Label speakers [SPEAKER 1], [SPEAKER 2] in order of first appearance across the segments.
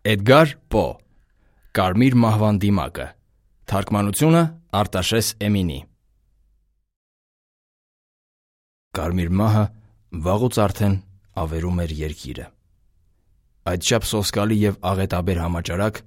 [SPEAKER 1] Էդգար Պո Կարմիր մահվան դիմակը Թարգմանությունը Արտաշես Էմինի Կարմիր մահը վաղուց արդեն ավերում էր երկիրը։ Այդչափ սոսկալի և աղետաբեր համաճարակ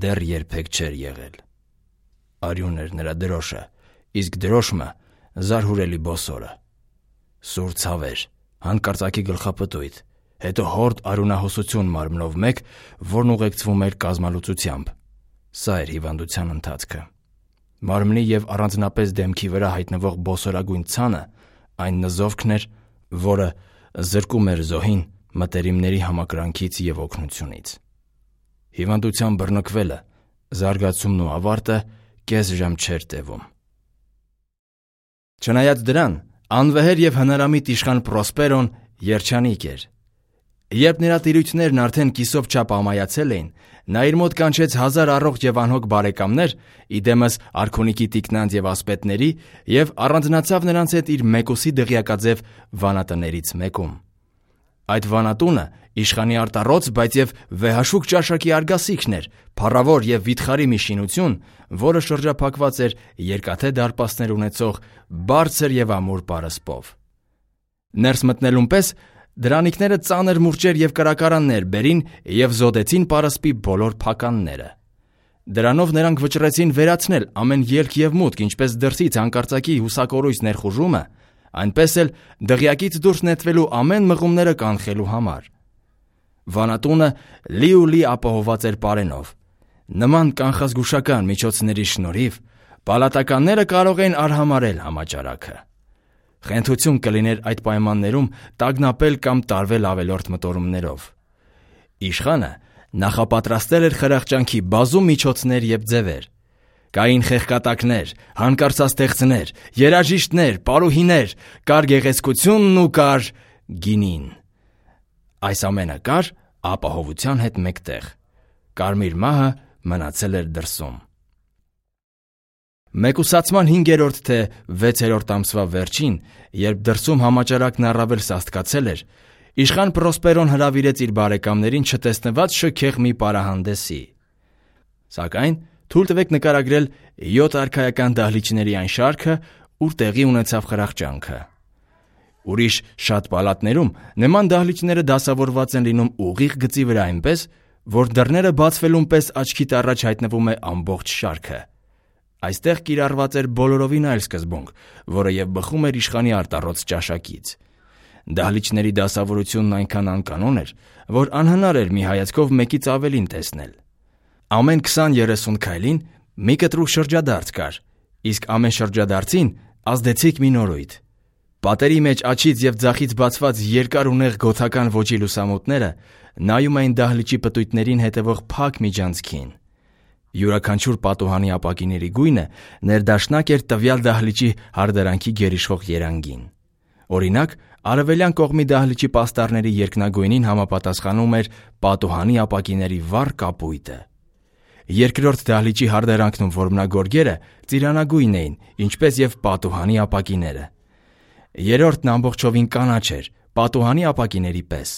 [SPEAKER 1] դեռ երբեք չէր եղել։ Արյուն էր նրա դրոշը, իսկ դրոշմը զարհուրելի բոսորը։ Սուր ցավեր, հանկարծակի գլխապտույտ, հետո հորդ արյունահոսություն մարմնով մեկ, որն ուղեկցվում էր կազմալուծությամբ։ Սա էր հիվանդության ընթացքը։ Մարմնի և առանձնապես դեմքի վրա հայտնվող բոսորագույն ցանը այն նզովքն էր, որը զրկում էր զոհին մտերիմների համակրանքից և օգնությունից։ Հիվանդության բռնկվելը, զարգացումն ու ավարտը կես ժամ չէր տևում։ Չնայած դրան, անվեհեր և հնարամիտ իշխան Պրոսպերոն երջանիկ էր։ Երբ նրա տիրույթներն արդեն կիսով չափ ամայացել էին, նա իր մոտ կանչեց 1000 առողջ և անհոգ բարեկամներ, ի դեմս արքունիքի տիկնանց և ասպետների, և առանձնացավ նրանց հետ իր մեկուսի դղյակաձև վանատներից մեկում։ Այդ վանատունը իշխանի արտառոց, բայց և վեհաշուկ ճաշակի արգասիքն էր, փառավոր և վիթխարի մի շինություն, որը շրջափակված էր երկաթե դարպասներ ունեցող բարձր և ամուր պարսպով։ Ներս մտնելուն պես դրանիկները ծանր մուրճեր և կրակարաններ բերին և զոդեցին պարսպի բոլոր փականները։ Դրանով նրանք վճռեցին վերացնել ամեն ելք և մուտք, ինչպես դրսից հանկարծակի հուսակորույս ներխուժումը, այնպես էլ դղյակից դուրս նետվելու ամեն մղումները կանխելու համար։ Վանատունը լի ապահովված էր պարենով։ Նման կանխազգուշական միջոցների շնորհիվ պալատականները կարող էին արհամարհել համաճարակը։ Խենթություն կլիներ այդ պայմաններում տագնապել կամ տարվել ավելորդ մտորումներով։ Իշխանը նախապատրաստել էր խրախճանքի բազում միջոցներ և ձևեր։ Կային խեղկատակներ, հանկարծաստեղծներ, երաժիշտներ, պարուհիներ, կար գեղեցկությունն ու կար գինին։ Այս ամենը կար ապահովության հետ մեկտեղ։ Կարմիր մահը մնացել էր դրսում։ Մեկուսացման 5-րդ թե 6-րդ ամսվա վերջին, երբ դրսում համաճարակն առավել սաստկացել էր, իշխան Պրոսպերոն հրավիրեց իր բարեկամներին չտեսնված շքեղ մի պարահանդեսի։ Սակայն թույլ տվեք նկարագրել 7 արքայական դահլիճների այն շարքը, ուր տեղի ունեցավ խրախճանքը։ Ուրիշ շատ պալատներում նման դահլիճները դասավորված են լինում ուղիղ գծի վրա այնպես, որ դռները բացվելուն պես աչքիդ առաջ հայտնվում է ամբողջ շարքը։ Այստեղ կիրառված էր բոլորովին այլ սկզբունք, որը և բխում էր իշխանի արտառոց ճաշակից։ Դահլիճների դասավորությունն այնքան անկանոն էր, որ անհնար էր մի հայացքով մեկից ավելին տեսնել։ Ամեն 20-30 քայլին մի կտրուկ շրջադարձ կար, իսկ ամեն շրջադարձին ազդեցիկ մի նորույթ։ Պատերի մեջ աջից և ձախից բացված երկար ու նեղ գոթական ոճի լուսամուտները նայում էին դահլիճի պտույտներին հետևող փակ միջանցքին։ Յուրաքանչյուր պատուհանի ապակիների գույնը ներդաշնակ էր տվյալ դահլիճի հարդարանքի գերիշխող երանգին։ Օրինակ, արևելյան կողմի դահլիճի պաստառների երկնագույնին համապատասխանում էր պատուհանի ապակիների վառ կապույտը։ Երկրորդ դահլիճի հարդարանքն ու որմնագորգերը ծիրանագույն էին, ինչպես և պատուհանի ապակիները։ Երրորդն ամբողջովին կանաչ էր, պատուհանի ապակիների պես։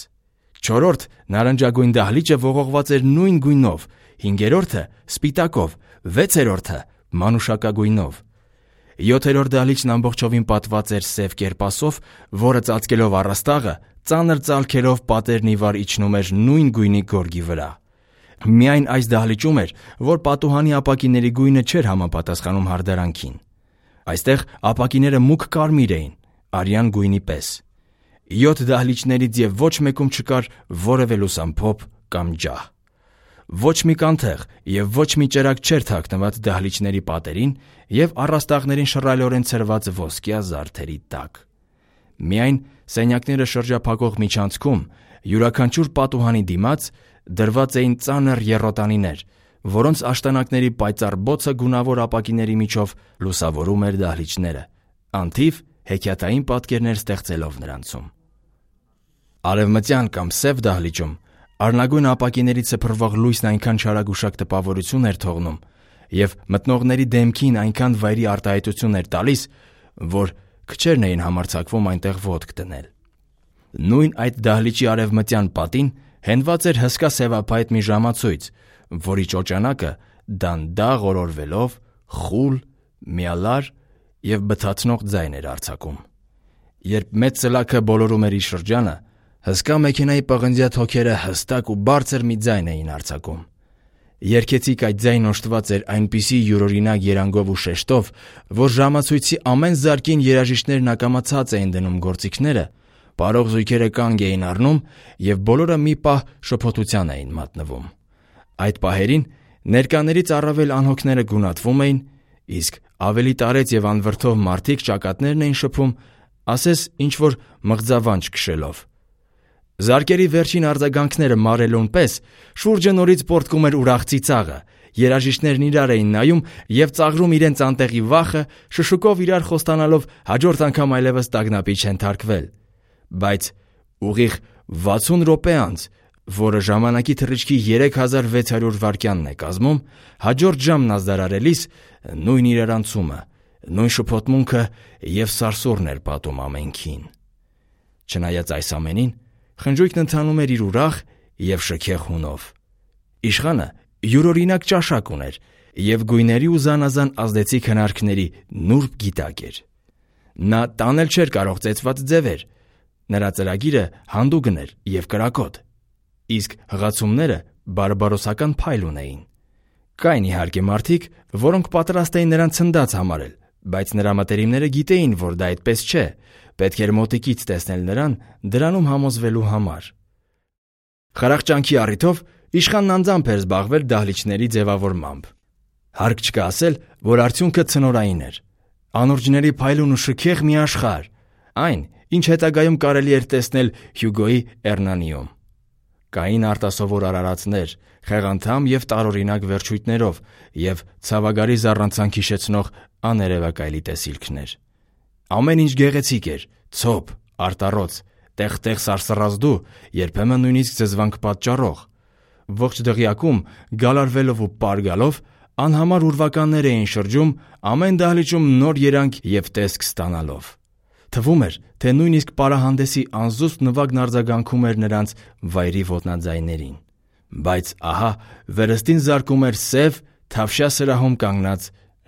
[SPEAKER 1] Չորրորդ նարնջագույն դահլիճը ողողված էր նույն գույնով, 5-րդը սպիտակով, 6-րդը մանուշակագույնով։ 7-րդ դահլիճն ամբողջովին պատված էր սև կերպասով, որը ծածկելով առաստաղը, ծանր ծալքերով պատերն ի վար իջնում էր նույն գույնի գորգի վրա։ Միայն այս դահլիճում էր, որ պատուհանի ապակիների գույնը չէր համապատասխանում հարդարանքին։ Այստեղ ապակիները մուգ կարմիր էին, արյան գույնի պես։ 7 դահլիճներից և ոչ մեկում չկար որևէ լուսամփոփ կամ ջահ։ Ոչ մի կանթեղ և ոչ մի ճրագ չէր թաքնված դահլիճների պատերին և առաստաղներին շռայլորեն ցրված ոսկյա զարդերի տակ։ Միայն սենյակները շրջափակող միջանցքում յուրաքանչյուր պատուհանի դիմաց դրված էին ծանր եռոտանիներ, որոնց աշտանակների պայծառ բոցը գունավոր ապակիների միջով լուսավորում էր դահլիճները, անթիվ հեքիաթային պատկերներ ստեղծելով նրանցում։ Արևմտյան կամ սև դահլիճում առնագույն ապակիներից սփռվող լույսն այնքան չարագուշակ տպավորություն էր թողնում և մտնողների դեմքին այնքան վայրի արտահայտություն էր տալիս, որ քչերն էին համարձակվում այնտեղ ոտք դնել։ Նույն այդ դահլիճի արևմտյան պատին հենված էր հսկա սևափայտ մի ժամացույց, որի ճոճանակը դանդաղ օրորվելով խուլ, միալար և բթացնող ձայն էր արձակում։ Երբ մեծ ծլաքը բոլորում էր իր շրջանը, հսկա մեքենայի պղնձյա թոքերը հստակ ու բարձր մի ձայն էին արձակում։ Երգեցիկ այդ ձայնն օժտված էր այնպիսի յուրօրինակ երանգով ու շեշտով, որ ժամացույցի ամեն զարկին երաժիշտներն ակամացած էին դնում գործիքները, պարող զույգերը կանգ էին առնում և բոլորը մի պահ շփոթության էին մատնվում։ Այդ պահերին ներկաներից առավել անհոգները գունատվում էին, իսկ ավելի տարեց և անվրդով մարդիկ ճակատներն էին շփում, ասես ինչ-որ մղձավանջ քշելով։ Զարկերի վերջին արձագանքները մարելուն պես շուրջը նորից պոռթկում էր ուրախ ծիծաղը, երաժիշտներն իրար էին նայում և ծաղրում իրենց անտեղի վախը, շշուկով իրար խոստանալով հաջորդ անգամ այլևս տագնապի չեն թարգվել։ Բայց ուղիղ 60 րոպե անց, որը ժամանակի թռիչքի 3600 վայրկյանն է կազմում, հաջորդ ժամն ազդարարելիս նույն իրարանցումը, նույն շփոթմունքը և սարսուռն էր պատում ամենքին։ Չնայած այս ամենին, խնջույքն ընթանում էր իր ուրախ և շքեղ հունով։ Իշխանը յուրօրինակ ճաշակ ուներ և գույների ու զանազան ազդեցիկ հնարքների նուրբ գիտակ էր։ Նա տանել չէր կարող ծեծված ձևեր, նրա ծրագիրը հանդուգն էր և կրակոտ, իսկ հղացումները բարբարոսական փայլ ունեին։ Կային իհարկե մարդիկ, որոնք պատրաստ էին նրան ցնդած համարել, բայց նրա մտերիմները գիտեին, որ դա այդպես չէ, պետք էր մոտիկից տեսնել նրան դրանում համոզվելու համար։ Խրախճանքի առիթով իշխանն անձամբ էր զբաղվել դահլիճների ձևավորմամբ։ Հարկ չկա ասել, որ արդյունքը ցնորային էր։ Անորջների փայլուն ու շքեղ մի աշխարհ, այն, ինչ հետագայում կարելի էր տեսնել Հյուգոյի «Էռնանիում»։ Կային արտասովոր արարածներ, խեղանդամ և տարօրինակ վերջույթներով և ցավագարի զառանցանք հիշեցնող աներևակայլի տեսիլքներ։ Ամեն ինչ գեղեցիկ էր, ցոփ, արտառոց, տեղ-տեղ սարսռազդու, երբեմն նույնիսկ զզվանք պատճառող։ Ողջ դղյակում, գալարվելով ու պարգալով, անհամար ուրվականներ էին շրջում, ամեն դահլիճում նոր երանգ և տեսք ստանալով։ Թվում էր, թե նույնիսկ պարահանդեսի անզուսպ նվագն արձագանքում էր նրանց վայրի ոտնաձայներին։ Բայց ահա վերստին զարկում էր սև, թավշյա սրահում կանգնած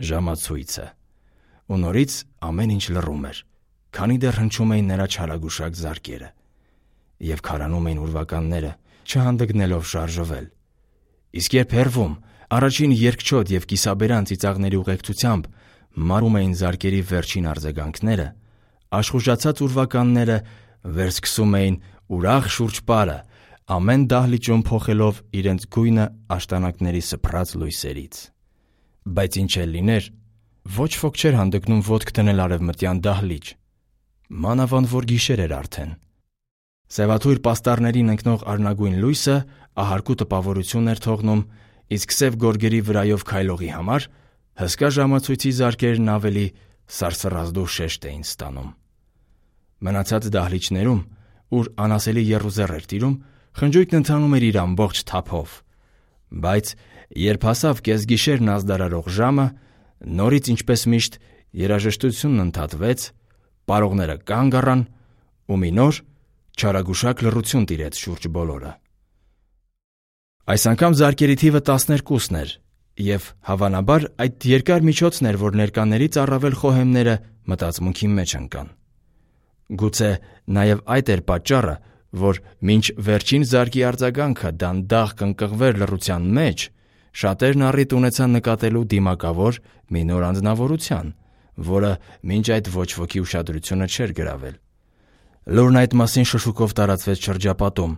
[SPEAKER 1] ժամացույցը։ Ու նորից ամեն ինչ լռում էր, քանի դեռ հնչում էին նրա չարագուշակ զարկերը և քարանում էին ուրվականները, չհանդգնելով շարժվել։ Իսկ երբ հեռվում, առաջին երկչոտ և կիսաբերան ծիծաղների ուղեկցությամբ մարում էին զարկերի վերջին արձագանքները, աշխուժացած ուրվականները վերսկսում էին ուրախ շուրջպարը, ամեն դահլիճում փոխելով իրենց գույնը աշտանակների սփռած լույսերից։ Բայց ինչ էլ լիներ, ոչ ոք չէր հանդգնում ոտք դնել արևմտյան դահլիճ, մանավանդ որ գիշեր էր արդեն։ Սևաթույր պաստառներին ընկնող արնագույն լույսը ահարկու տպավորություն էր թողնում, իսկ սև գորգերի վրայով քայլողի համար հսկա ժամացույցի զարկերն ավելի սարսռազդու շեշտ էին ստանում։ Մնացած դահլիճներում, ուր անասելի եռուզեռ էր տիրում, խնջույքն ընթանում էր իր ամբողջ թափով։ Բայց երբ հասավ կեսգիշերն ազդարարող ժամը, նորից ինչպես միշտ երաժշտությունն ընդհատվեց, պարողները կանգ առան ու մի նոր չարագուշակ լռություն տիրեց շուրջ բոլորը։ Այս անգամ զարկերի թիվը 12-ն էր, և հավանաբար այդ երկար միջոցն էր, որ ներկաներից առավել խոհեմները մտածմունքի մեջ ընկան։ Գուցե նաև այդ էր պատճառը, որ մինչ վերջին զարկի արձագանքը դանդաղ կնկղվեր լռության մեջ, շատերն առիթ ունեցան նկատելու դիմակավոր մի նոր անձնավորության, որը մինչ այդ ոչ ոքի ուշադրությունը չէր գրավել։ Լուրն այդ մասին շշուկով տարածվեց շրջապատում,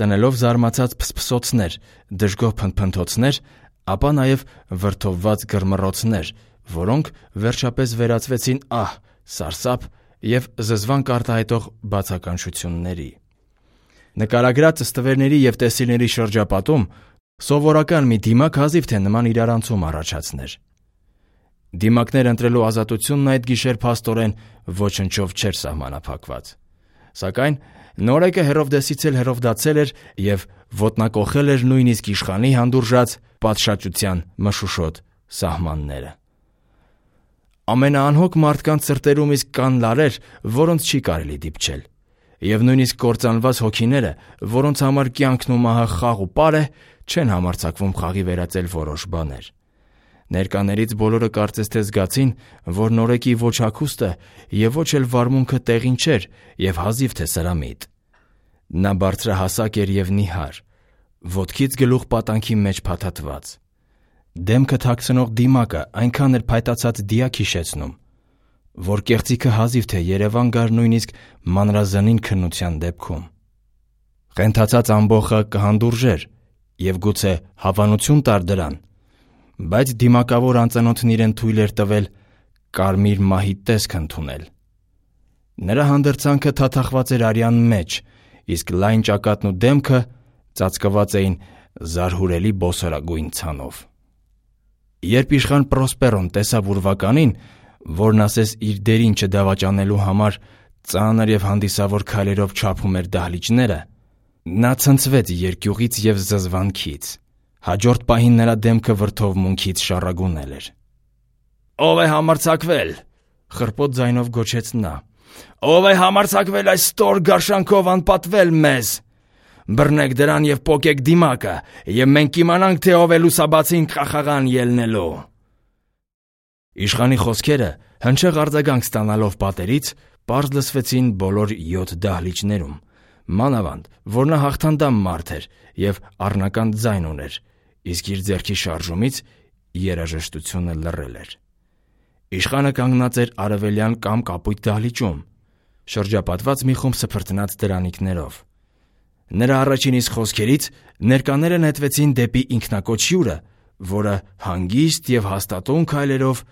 [SPEAKER 1] ծնելով զարմացած փսփսոցներ, դժգոհ փնթփնթոցներ, ապա նաև վրդովված գրմռոցներ, որոնք վերջապես վերածվեցին ահ, սարսափ և զզվանք արտահայտող բացականչությունների։ Նկարագրած ստվերների և տեսիլների շրջապատում սովորական մի դիմակ հազիվ թե նման իրարանցում առաջացներ։ Դիմակներ ընտրելու ազատությունն այդ գիշեր փաստորեն ոչնչով չէր սահմանափակված։ Սակայն նորեկը Հերովդեսից էլ հերովդացել էր և ոտնակոխել էր նույնիսկ իշխանի հանդուրժած պատշաճության մշուշոտ սահմանները։ Ամենաանհոգ մարդկանց սրտերում իսկ կան լարեր, որոնց չի կարելի դիպչել։ և նույնիսկ կործանված հոգիները, որոնց համար կյանքն ու մահը խաղ ու պար է, չեն համարձակվում խաղի վերածել որոշ բաներ։ Ներկաներից բոլորը կարծես թե զգացին, որ նորեկի ոչ հագուստը և ոչ էլ վարմունքը տեղին չէր և հազիվ թե սրամիտ։ Նա բարձրահասակ էր և նիհար, ոտքից գլուխ պատանքի մեջ փաթաթված։ Դեմքը թաքցնող դիմակը այնքան էր փայտացած դիակ հիշեցնում, որ կեղծիքը հազիվ թե երևան գար նույնիսկ մանրազնին քննության դեպքում։ Ղենթացած ամբոխը կհանդուրժեր և գուցե հավանություն տար դրան, բայց դիմակավոր անծանոթն իրեն թույլ էր տվել կարմիր մահի տեսք ընդունել։ Նրա հանդերձանքը թաթախված էր արյան մեջ, իսկ լայն ճակատն ու դեմքը ծածկված էին զարհուրելի բոսորագույն ցանով։ Երբ իշխան Պրոսպերոն տեսավ ուրվականին, որն ասես իր դերին չդավաճանելու համար ծանր և հանդիսավոր քայլերով չափում էր դահլիճները, նա ցնցվեց երկյուղից և զզվանքից։ Հաջորդ պահին նրա դեմքը վրդովմունքից շառագունել էր։ «Ո՞վ է համարձակվել», խռպոտ ձայնով գոչեց նա, «ո՞վ է համարձակվել այս ստոր գարշանքով անպատվել մեզ։ Բռնեք դրան և պոկեք դիմակը, և մենք կիմանանք, թե ով է լուսաբացին խաղաղան ելնելու»։ Իշխանի խոսքերը, հնչեղ արձագանք ստանալով պատերից, պարզ լսվեցին բոլոր 7 դահլիճներում, մանավանդ, որ նա հաղթանդամ մարդ էր և առնական ձայն ուներ, իսկ իր ձեռքի շարժումից երաժշտությունը լռել էր։ Իշխանը կանգնած էր արևելյան կամ կապույտ դահլիճում, շրջապատված մի խումբ սփրտնած դրանիկներով։ Նրա առաջին իսկ խոսքերից ներկաները նետվեցին դեպի ինքնակոչ հյուրը, որը հանգիստ և հաստատուն քայլերով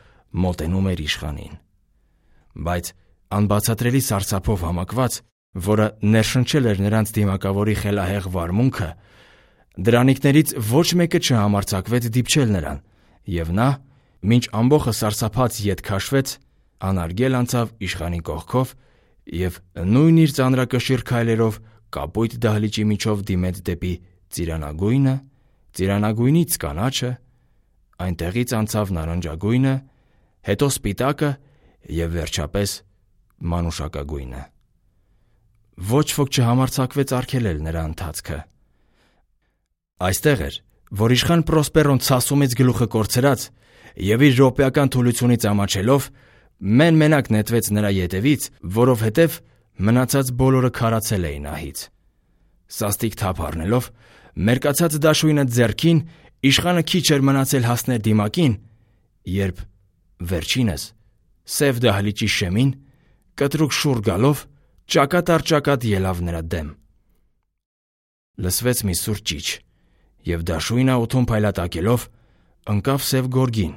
[SPEAKER 1] մոտենում էր իշխանին։ Բայց անբացատրելի սարսափով համակված, որը ներշնչել էր նրանց դիմակավորի խելահեղ վարմունքը, դրանիկներից ոչ մեկը չհամարձակվեց դիպչել նրան, և նա, մինչ ամբոխը սարսափած ետ քաշվեց, անարգել անցավ իշխանի կողքով և նույն իր ծանրակշիռ քայլերով կապույտ դահլիճի միջով դիմեց դեպի ծիրանագույնը, ծիրանագույնից կանաչը, այնտեղից անցավ նարնջագույնը, հետո սպիտակը և վերջապես մանուշակագույնը։ Ոչ ոք չհամարձակվեց արգելել նրա ընթացքը։ Այստեղ էր, որ իշխան Պրոսպերոն ցասումից գլուխը կորցրած և իր րոպեական թուլությունից ամաչելով մեն-մենակ նետվեց նրա ետևից, որովհետև մնացած բոլորը քարացել էին ահից։ Սաստիկ թափ առնելով, մերկացած դաշույնը ձեռքին, իշխանը քիչ էր մնացել հասներ դիմակին, երբ վերջինս սև դահլիճի շեմին կտրուկ շուռ գալով ճակատ առ ճակատ ելավ նրա դեմ։ Լսվեց մի սուր ճիչ, և դաշույնը օդում փայլատակելով ընկավ սև գորգին,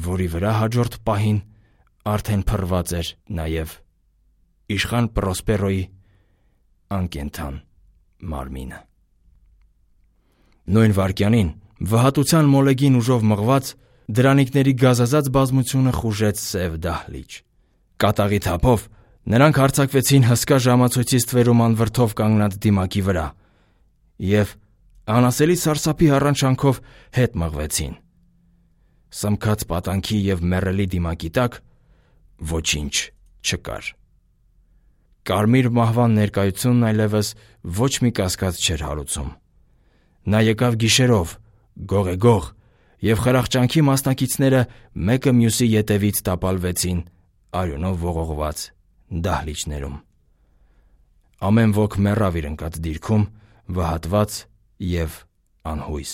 [SPEAKER 1] որի վրա հաջորդ պահին արդեն փռված էր նաև իշխան Պրոսպերոյի անկենդան մարմինը։ Նույն վայրկյանին վհատության մոլեգին ուժով մղված դրանիկների գազազած բազմությունը խուժեց սև դահլիճ։ Կատաղի թափով նրանք հարձակվեցին հսկա ժամացույցի ստվերում անվրդով կանգնած դիմակի վրա և անասելի սարսափի հառաչանքով հետ մղվեցին։ Սմքած պատանքի և մեռելի դիմակի տակ ոչինչ չկար։ Կարմիր մահվան ներկայությունն այլևս ոչ մի կասկած չէր հարուցում։ Նա եկավ գիշերով, գողեգող, և խրախճանքի մասնակիցները մեկը մյուսի ետևից տապալվեցին արյունով ողողված դահլիճներում։ Ամեն ոք մեռավ իր ընկած դիրքում, վհատված և անհույս։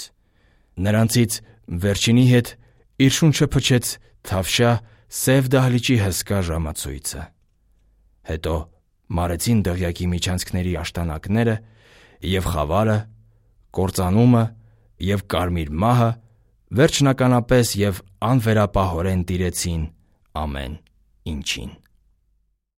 [SPEAKER 1] Նրանցից վերջինի հետ իր շունչը փչեց թավշյա սև դահլիճի հսկա ժամացույցը։ Հետո մարեցին դղյակի միջանցքների աշտանակները և խավարը, կործանումը և կարմիր մահը վերջնականապես և անվերապահորեն տիրեցին ամեն ինչին։